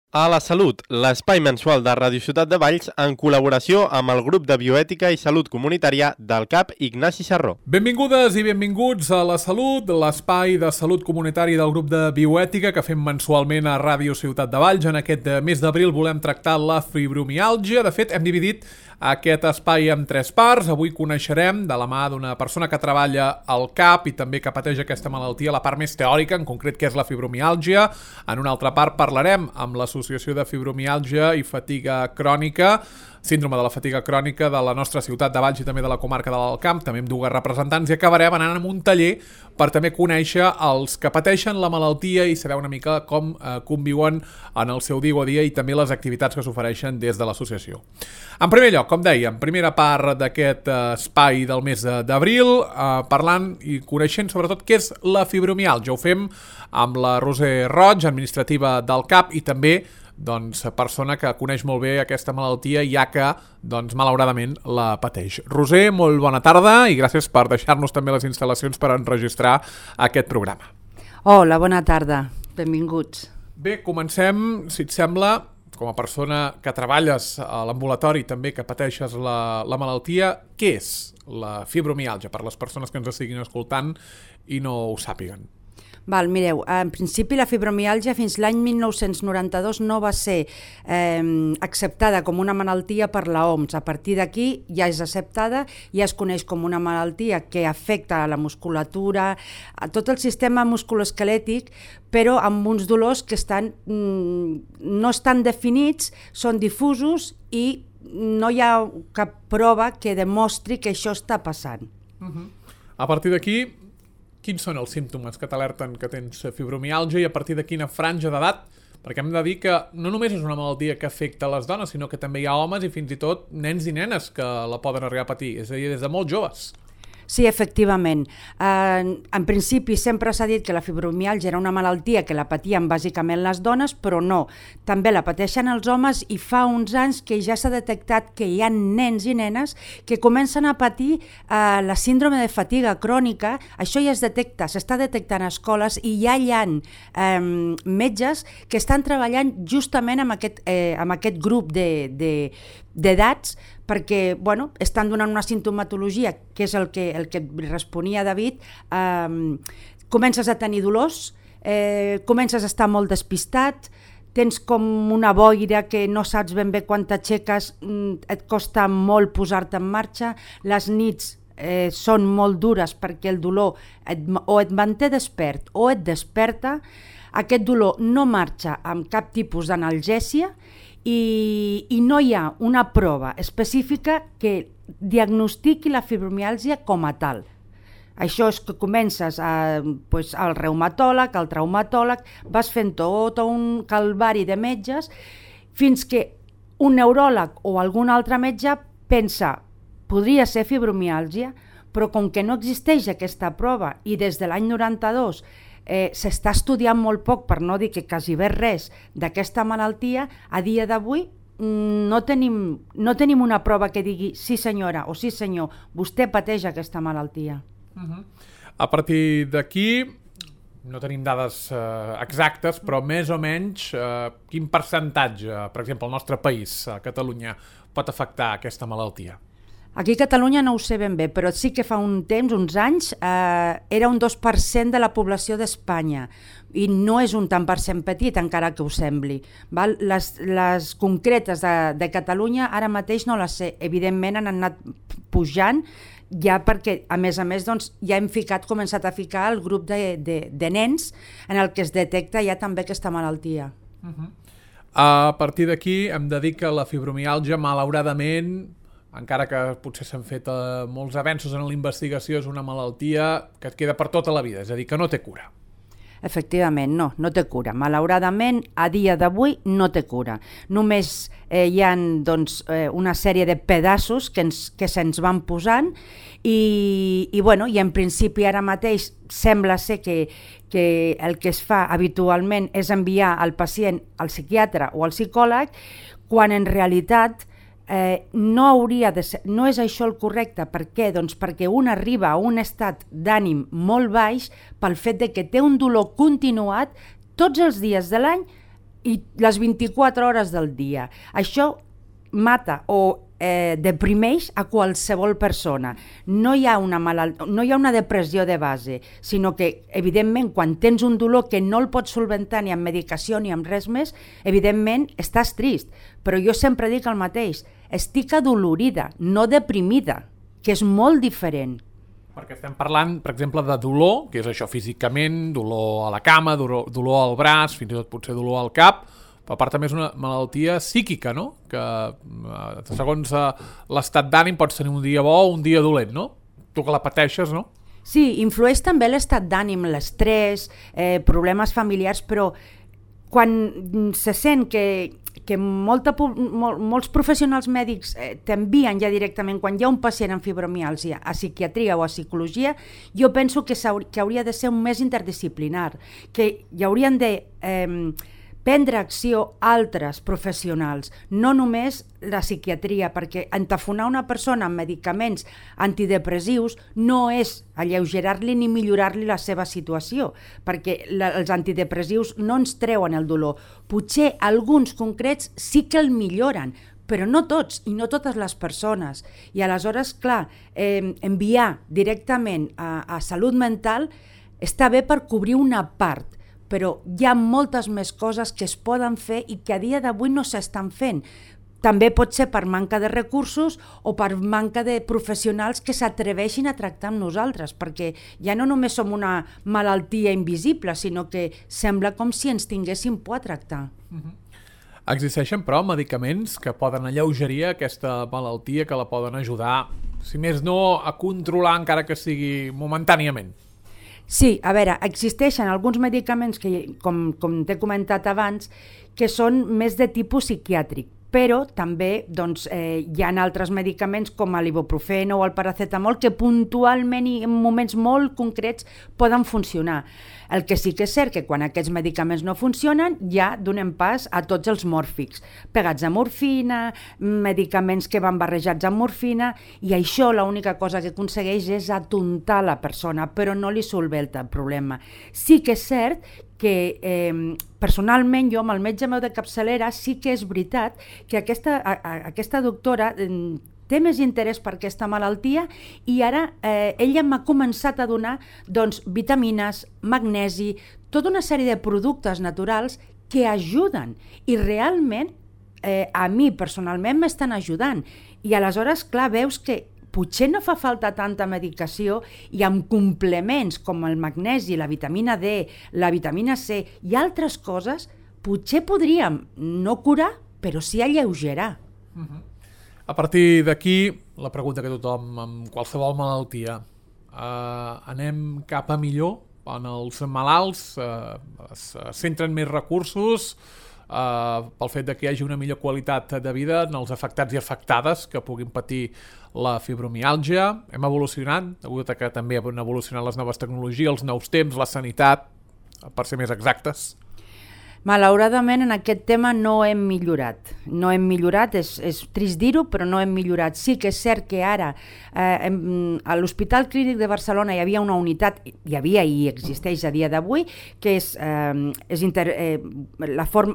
A la Salut, l'espai mensual de Ràdio Ciutat de Valls en col·laboració amb el grup de bioètica i salut comunitària del CAP Ignasi Sarró. Benvingudes i benvinguts a La Salut, l'espai de salut comunitari del grup de bioètica que fem mensualment a Ràdio Ciutat de Valls. En aquest mes d'abril volem tractar la fibromiàlgia. De fet, hem dividit aquest espai en 3 parts. Avui coneixerem, de la mà d'una persona que treballa al CAP i també que pateix aquesta malaltia, la part més teòrica, en concret què és la fibromiàlgia. En una altra part parlarem amb l'Associació de Fibromiàlgia i Fatiga Crònica, síndrome de la fatiga crònica de la nostra ciutat de Valls i també de la comarca de l'Alt Camp, també amb dues representants, i acabarem anant a un taller per també conèixer els que pateixen la malaltia i saber una mica com conviuen en el seu dia a dia i també les activitats que s'ofereixen des de l'associació. En primer lloc, com dèiem, primera part d'aquest espai del mes d'abril, parlant i coneixent sobretot què és la fibromiàlgia. Ho fem amb la Roser Roig, administrativa del CAP, i també persona que coneix molt bé aquesta malaltia, ja que, malauradament, la pateix. Roser, molt bona tarda i gràcies per deixar-nos també les instal·lacions per enregistrar aquest programa. Hola, bona tarda. Benvinguts. Bé, comencem, si et sembla, com a persona que treballes a l'ambulatori també que pateixes la malaltia, què és la fibromiàlgia per les persones que ens estiguin escoltant i no ho sàpiguen? Mireu, en principi la fibromiàlgia fins l'any 1992 no va ser acceptada com una malaltia per l'OMS. A partir d'aquí ja és acceptada, ja es coneix com una malaltia que afecta a la musculatura, a tot el sistema musculoesquelètic, però amb uns dolors que no estan definits, són difusos i no hi ha cap prova que demostri que això està passant. A partir d'aquí, quins són els símptomes que t'alerten que tens fibromiàlgia i a partir de quina franja d'edat? Perquè hem de dir que no només és una malaltia que afecta les dones, sinó que també hi ha homes i fins i tot nens i nenes que la poden arribar a patir, és a dir, des de molt joves. Sí, efectivament. En principi sempre s'ha dit que la fibromiàlgia era una malaltia que la patien bàsicament les dones, però no. També la pateixen els homes i fa uns anys que ja s'ha detectat que hi ha nens i nenes que comencen a patir la síndrome de fatiga crònica. Això ja es detecta, s'està detectant a escoles i ja hi ha metges que estan treballant justament amb aquest grup d'edats perquè estan donant una sintomatologia, que és el que responia David, comences a tenir dolors, comences a estar molt despistat, tens com una boira que no saps ben bé quan t'aixeques, et costa molt posar-te en marxa, les nits són molt dures perquè el dolor o et manté despert o et desperta, aquest dolor no marxa amb cap tipus d'analgèsia, i no hi ha una prova específica que diagnostiqui la fibromiàlgia com a tal. Això és que comences al reumatòleg, al traumatòleg, vas fent tot un calvari de metges fins que un neuròleg o algun altre metge pensa podria ser fibromiàlgia, però com que no existeix aquesta prova i des de l'any 92 s'està estudiant molt poc, per no dir que quasi res d'aquesta malaltia, a dia d'avui no tenim una prova que digui sí senyora o sí senyor, vostè pateix aquesta malaltia. A partir d'aquí no tenim dades exactes, però més o menys quin percentatge, per exemple, al nostre país, a Catalunya, pot afectar aquesta malaltia? Aquí a Catalunya no ho sé ben bé, però sí que fa un temps, uns anys, era un 2% de la població d'Espanya i no és un tant per cent petit, encara que ho sembli. Les concretes de Catalunya ara mateix no les sé, evidentment han anat pujant, ja perquè, a més, ja hem començat a ficar el grup de nens en el que es detecta ja també aquesta malaltia. A partir d'aquí hem de dir que la fibromiàlgia, malauradament, encara que potser s'han fet molts avenços en la investigació, és una malaltia que et queda per tota la vida, és a dir, que no té cura. Efectivament, no té cura. Malauradament, a dia d'avui no té cura. Només hi ha una sèrie de pedaços que se'ns van posant i en principi ara mateix sembla ser que el que es fa habitualment és enviar el pacient al psiquiatre o al psicòleg, quan en realitat no és això el correcte. Per què? Doncs perquè un arriba a un estat d'ànim molt baix pel fet de que té un dolor continuat tots els dies de l'any i les 24 hores del dia. Això mata o deprimeix a qualsevol persona. No hi ha una depressió de base, sinó que, evidentment, quan tens un dolor que no el pots solventar ni amb medicació ni amb res més, evidentment estàs trist. Però jo sempre dic el mateix, estic adolorida, no deprimida, que és molt diferent. Perquè estem parlant, per exemple, de dolor, que és això físicament, dolor a la cama, dolor al braç, fins i tot potser dolor al cap, però a part també és una malaltia psíquica, no? Que segons l'estat d'ànim pots tenir un dia bo o un dia dolent, no? Tu que la pateixes, no? Sí, influeix també l'estat d'ànim, l'estrès, problemes familiars, però quan se sent que molts professionals mèdics t'envien ja directament, quan hi ha un pacient amb fibromiàlgia a psiquiatria o a psicologia, jo penso que hauria de ser un més interdisciplinar, que hi haurien de prendre acció altres professionals, no només la psiquiatria, perquè entafonar una persona amb medicaments antidepressius no és alleugerar-li ni millorar-li la seva situació, perquè els antidepressius no ens treuen el dolor. Potser alguns concrets sí que el milloren, però no tots i no totes les persones. I aleshores, clar, enviar directament a salut mental està bé per cobrir una part, però hi ha moltes més coses que es poden fer i que a dia d'avui no s'estan fent. També pot ser per manca de recursos o per manca de professionals que s'atreveixin a tractar amb nosaltres, perquè ja no només som una malaltia invisible, sinó que sembla com si ens tinguéssim por a tractar. Existeixen, però, medicaments que poden alleugerir aquesta malaltia, que la poden ajudar, si més no, a controlar, encara que sigui momentàniament. Sí, a veure, existeixen alguns medicaments que, com t'he comentat abans, que són més de tipus psiquiàtric, però també hi ha altres medicaments com l'ibuprofeno o el paracetamol que puntualment i en moments molt concrets poden funcionar. El que sí que és cert que quan aquests medicaments no funcionen ja donem pas a tots els mòrfics, pegats a morfina, medicaments que van barrejats amb morfina, i això l'única cosa que aconsegueix és atontar la persona, però no li solventa el problema. Sí que és cert que personalment jo amb el metge meu de capçalera sí que és veritat que aquesta doctora té més interès per aquesta malaltia i ara ella m'ha començat a donar vitamines, magnesi, tota una sèrie de productes naturals que ajuden i realment a mi personalment m'estan ajudant. I aleshores, clar, veus que potser no fa falta tanta medicació i amb complements com el magnesi, la vitamina D, la vitamina C i altres coses, potser podríem no curar, però sí alleugerar. A partir d'aquí, la pregunta que tothom amb qualsevol malaltia, anem cap a millor? En els malalts es centren més recursos pel fet que hi hagi una millor qualitat de vida en els afectats i afectades que puguin patir la fibromiàlgia. Hem evolucionat, degut a que també han evolucionat les noves tecnologies, els nous temps, la sanitat, per ser més exactes. Malauradament en aquest tema no hem millorat. No hem millorat, és trist dir-ho, però no hem millorat. Sí que és cert que ara a l'Hospital Clínic de Barcelona hi havia una unitat, hi havia i existeix a dia d'avui, que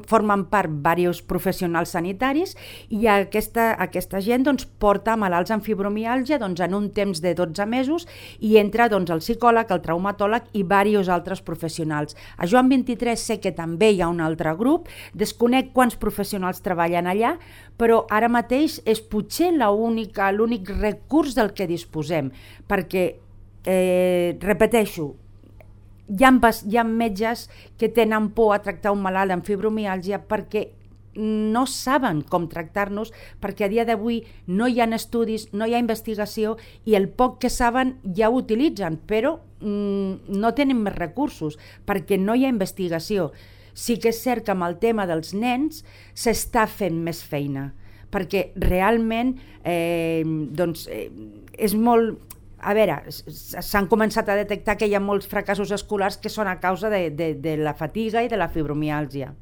formen part diversos professionals sanitaris i aquesta gent porta malalts amb fibromiàlgia en un temps de 12 mesos i entra el psicòleg, el traumatòleg i diversos altres professionals. A Joan 23 sé que també hi ha un altre grup, desconec quants professionals treballen allà, però ara mateix és potser l'únic recurs del que disposem, perquè, repeteixo, hi ha metges que tenen por a tractar un malalt amb fibromiàlgia perquè no saben com tractar-nos, perquè a dia d'avui no hi ha estudis, no hi ha investigació i el poc que saben ja ho utilitzen, però no tenen més recursos perquè no hi ha investigació. Sí que és cert que amb el tema dels nens s'està fent més feina, perquè realment és molt... A veure, s'han començat a detectar que hi ha molts fracassos escolars que són a causa de la fatiga i de la fibromiàlgia.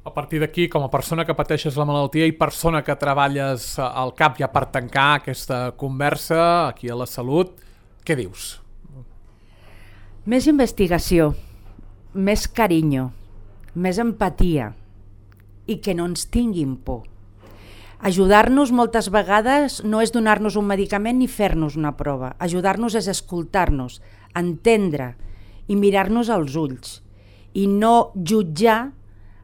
A partir d'aquí, com a persona que pateixes la malaltia i persona que treballes al CAP, ja per tancar aquesta conversa aquí a la Salut, què dius? Més investigació, més carinyo, més empatia, i que no ens tinguin por. Ajudar-nos moltes vegades no és donar-nos un medicament ni fer-nos una prova. Ajudar-nos és escoltar-nos, entendre i mirar-nos als ulls i no jutjar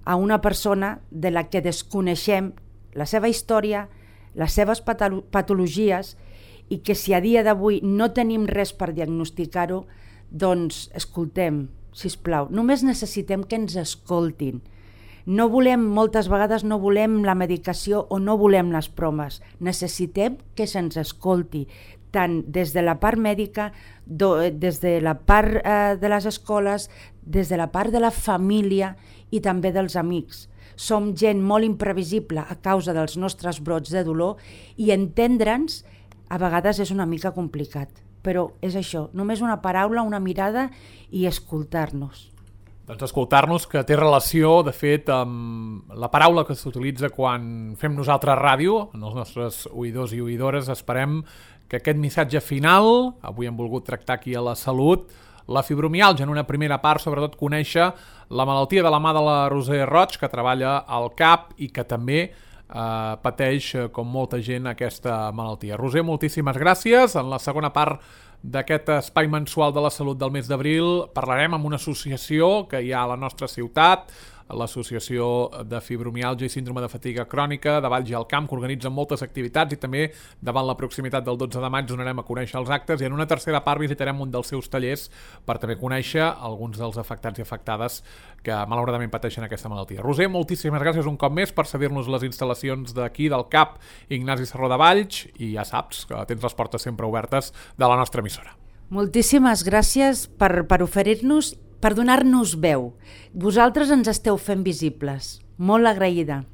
a una persona de la que desconeixem la seva història, les seves patologies i que si a dia d'avui no tenim res per diagnosticar-ho, doncs escoltem, sisplau. Només necessitem que ens escoltin. No volem, moltes vegades no volem la medicació o no volem les proves. Necessitem que se'ns escolti, tant des de la part mèdica, des de la part de les escoles, des de la part de la família i també dels amics. Som gent molt imprevisible a causa dels nostres brots de dolor i entendre'ns a vegades és una mica complicat, però és això, només una paraula, una mirada i escoltar-nos. Doncs escoltar-nos, que té relació, de fet, amb la paraula que s'utilitza quan fem nosaltres ràdio, en els nostres oïdors i oïdores. Esperem que aquest missatge final, avui hem volgut tractar aquí a La Salut, la fibromiàlgia, en una primera part, sobretot conèixer la malaltia de la mà de la Roser Roig, que treballa al CAP i que també pateix, com molta gent, aquesta malaltia. Roser, moltíssimes gràcies. En la segona part d'aquest espai mensual de la salut del mes d'abril parlarem amb una associació que hi ha a la nostra ciutat, l'Associació de Fibromiàlgia i Síndrome de Fatiga Crònica de Valls i el Camp, que organitzen moltes activitats i també davant la proximitat del 12 de maig donarem a conèixer els actes i en una tercera part visitarem un dels seus tallers per també conèixer alguns dels afectats i afectades que malauradament pateixen aquesta malaltia. Roser, moltíssimes gràcies un cop més per cedir-nos les instal·lacions d'aquí del CAP Ignasi Serró de Valls i ja saps que tens les portes sempre obertes de la nostra emissora. Moltíssimes gràcies per oferir-nos, per donar-nos veu. Vosaltres ens esteu fent visibles. Molt agraïda.